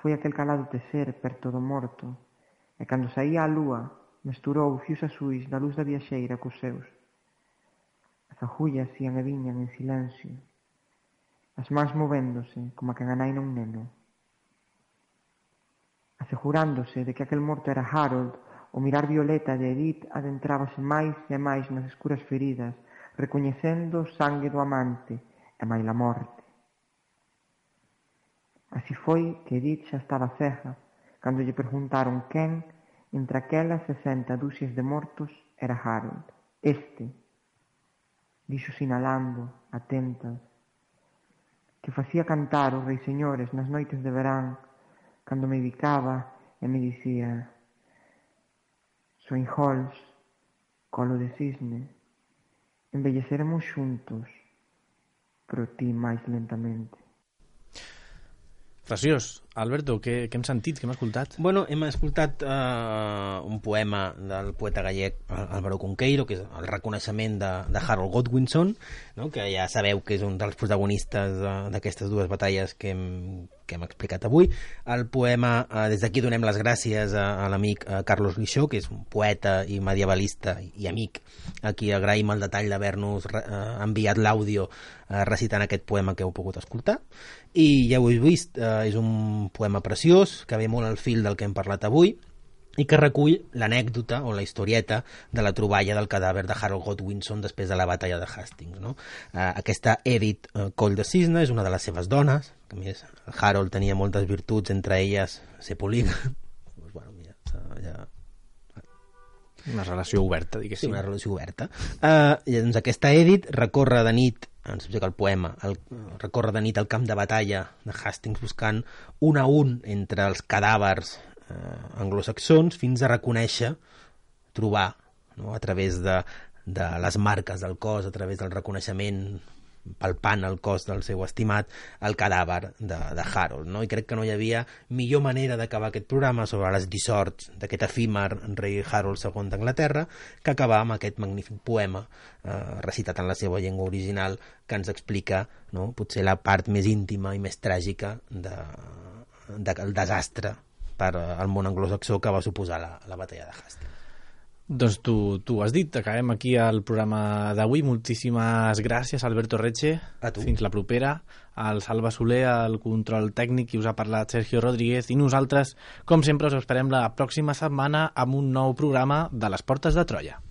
foi aquel calado tecer perto do morto, e cando saía a lúa mesturou fios azuis da luz da viaxeira cos seus. As agullas ían e viñan en silencio, as mans movéndose como a que enganaina un neno. Asegurándose de que aquel morto era Harold, o mirar violeta de Edith adentrábase máis e máis nas escuras feridas, recoñecendo o sangue do amante e maila morte. Así foi que Edith xa estaba cega cando lle preguntaron quen, entre aquelas sesenta dúcias de mortos, era Harold. Este, dixo sinalando, atentas, que facía cantar os reis señores nas noites de verán, cando me bicaba e me dicía: Swinholt, colo de cisne, envelleceremos xuntos, però ti máis lentamente. Preciós. Alberto, què, què hem sentit, què hem escoltat? Bueno, hem escoltat uh, un poema del poeta gallec Álvaro Cunqueiro, que és el reconeixement de, de Harold Godwinson, no? Que ja sabeu que és un dels protagonistes uh, d'aquestes dues batalles que hem, que hem explicat avui. El poema, uh, des d'aquí donem les gràcies a, a l'amic uh, Carlos Lixó, que és un poeta i medievalista i, i amic, a qui agraïm el detall d'haver-nos uh, enviat l'àudio uh, recitant aquest poema que heu pogut escoltar. I ja ho heu vist, uh, és un poema preciós, que ve molt al fil del que hem parlat avui i que recull l'anècdota o la historieta de la troballa del cadàver de Harold Godwinson després de la batalla de Hastings, no? Uh, aquesta Edith uh, Coll de Cisne és una de les seves dones, que a més Harold tenia moltes virtuts, entre elles ser polígam. Pues, bueno, mira, ja... Una relació oberta, diguéssim. Sí, una relació oberta. Uh, i doncs aquesta Edith recorre de nit, ens explica el poema, el, recorre de nit al camp de batalla de Hastings buscant un a un entre els cadàvers eh, anglosaxons fins a reconèixer, trobar, no? A través de, de les marques del cos, a través del reconeixement, palpant el cos del seu estimat, el cadàver de, de Harold, no? I crec que no hi havia millor manera d'acabar aquest programa sobre les dissorts d'aquest efímer rei Harold segon d'Anglaterra que acabar amb aquest magnífic poema eh, recitat en la seva llengua original que ens explica, no? Potser la part més íntima i més tràgica de, de, del desastre per al món anglosaxó que va suposar la, la batalla de Hastings. Doncs tu, tu has dit, acabem aquí el programa d'avui. Moltíssimes gràcies, Alberto Retxe. A tu. Fins la propera. Al Salva Soler, al control tècnic, i us ha parlat Sergio Rodríguez. I nosaltres, com sempre, us esperem la pròxima setmana amb un nou programa de les Portes de Troia.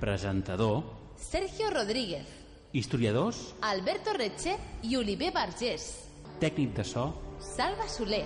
Presentador Sergio Rodríguez, historiadors, Alberto Retxe i Oliver Vergés. tècnic de so Salva Soler.